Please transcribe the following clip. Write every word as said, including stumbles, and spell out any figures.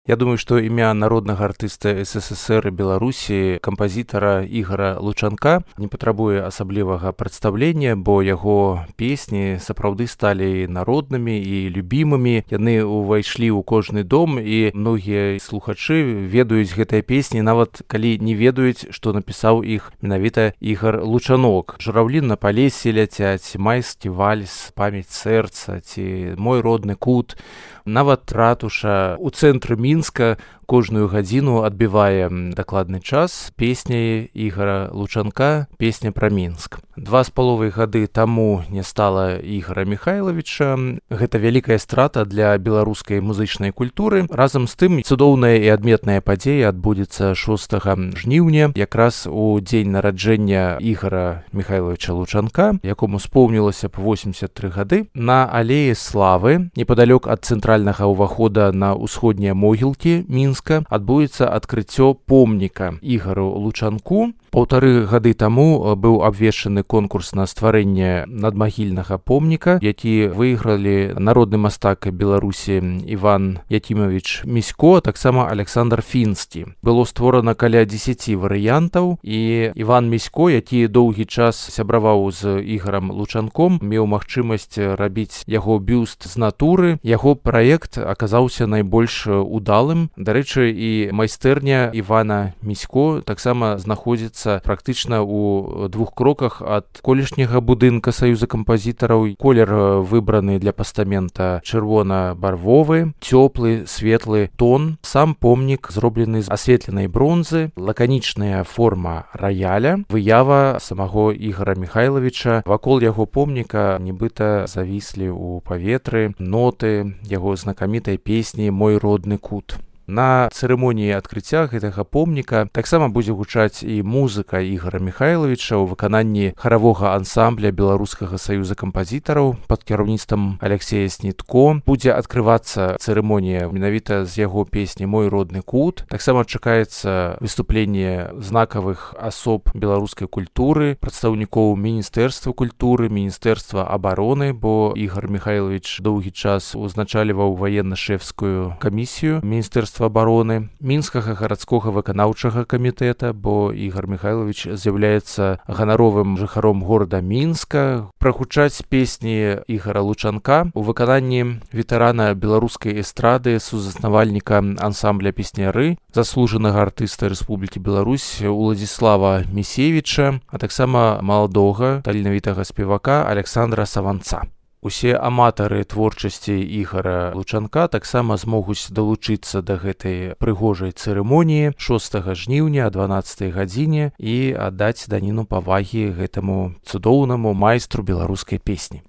Я думаю, што імя народнага артыста СССР і Беларусі, кампазітара Ігара Лучанка, не патрабуе асаблівага прадстаўлення, бо яго песні сапраўды сталі народнымі і любімымі. Яны ўвайшлі ў кожны дом, і многія слухачы ведаюць гэтыя песні, нават калі не ведаюць, што напісаў іх менавіта Ігар Лучанок. Журавлі на палесе ляцяць, майскі вальс, памяць сэрца ці мой родны кут. Нават ратуша ў цэнтры Мінска кожную гадзіну адбівае дакладны час песняй Ігара Лучанка, песня пра Мінск. Два з паловай гады таму не стала Ігара Міхайлавіча. Гэта вялікая страта для беларускай музычнай культуры. Разам з тым, цудоўная і адметная падзея адбудзецца шостага жніўня, якраз у дзень нараджэння Ігара Міхайлавіча Лучанка, якому споўнілася б восемьдесят тры гады. На алеі Славы, непадалёк ад цэнтральнага ўвахода на ўсходнія могілкі Мінска, адбудзецца адкрыццё помніка Ігару Лучанку. Паўтары гады таму быў абвешчаны конкурс на стварэнне надмагільнага помніка, які выйгралі народны мастак Беларусі Іван Якімавіч Місько, а таксама Александр Фінскі. Было створана каля дзесяці варыянтаў, і Іван Місько, які доўгі час сябраваў з Ігарам Лучанком, меў магчымасць рабіць яго бюст з натуры. Яго праект аказаўся найбольш удалым. Дарэчы, і майстэрня Івана Місько таксама знаходзіцца практычна ў двух кроках ад колішняга будынка Саюза кампазітараў. Колер выбраны для пастамента чырвона-барвовы, цёплы, светлы тон. Сам помнік зроблены з асветленай бронзы, лаканічная форма раяля, выява самого Ігара Міхайлавіча. Вакол яго помніка нібыта завіслі ў паветры ноты яго знакамітай песні «Мой родны кут». На цырымоніі адкрыцця гэтага помніка таксама будзе гучаць і музыка Ігара Міхайлавіча ў выкананні харавога ансамбля Беларускага саюза кампазітараў пад кіраўніцтвам Алексея Снітко. Будзе адкрывацца цырымонія менавіта з яго песні «Мой родны кут». Таксама чакаецца выступленне знакавых асоб беларускай культуры, прадстаўнікоў Міністэрства культуры, Міністэрства абароны, бо Ігар Міхайлавіч доўгі час узначальваў ваенна-шэфскую камісію Міністэрства абароны, мінскага гарадскога выканаўчага камітэта, бо Ігар Міхайлавіч з'яўляецца ганаровым жыхаром горада Мінска. Прагучаць песні Ігара Лучанка у выкананні ветэрана беларускай эстрады, сузаснавальніка ансамбля песняры, заслужанага артыста Рэспублікі Беларусь Уладзіслава Місевіча, а таксама маладога таленавітага спевака Александра Саванца. Усе аматары творчасці Ігара Лучанка таксама змогуць далучыцца да гэтай прыгожай цырымоніі шостага жніўня о дванаццатай гадзіне і аддаць даніну павагі гэтаму цудоўнаму майстру беларускай песні.